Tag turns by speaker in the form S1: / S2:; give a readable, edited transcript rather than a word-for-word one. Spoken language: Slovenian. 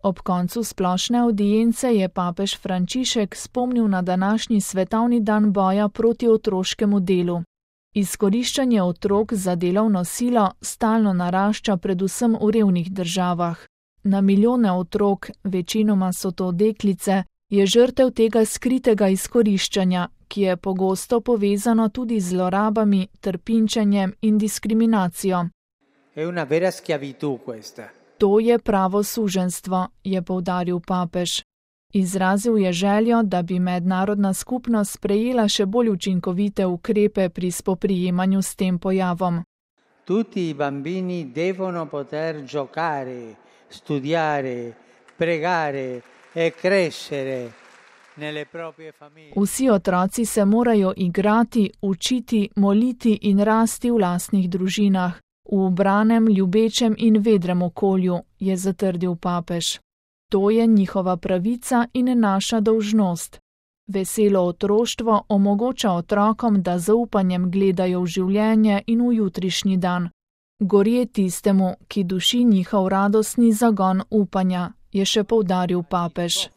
S1: Ob koncu splošne avdience je papež Frančišek spomnil na današnji svetovni dan boja proti otroškemu delu. Izkoriščanje otrok za delovno silo stalno narašča predvsem v revnih državah. Na milijone otrok, večinoma so to deklice, je žrtev tega skritega izkoriščanja, ki je pogosto povezano tudi z zlorabami, trpinčenjem in diskriminacijo. To je pravo suženjstvo, je poudaril papež. Izrazil je željo, da bi mednarodna skupnost sprejela še bolj učinkovite ukrepe pri spoprijemanju s tem pojavom.
S2: Tutti i bambini devono poter giocare, studiare, pregare e crescere nelle proprie famiglie. Vsi
S1: otroci se morajo igrati, učiti, moliti in rasti v lastnih družinah, v ubranem, ljubečem in vedrem okolju, je zatrdil papež. To je njihova pravica in naša dolžnost. Veselo otroštvo omogoča otrokom, da zaupanjem gledajo v življenje in v jutrišnji dan. Gorje tistemu, ki duši njihov radostni zagon upanja, je še poudaril papež.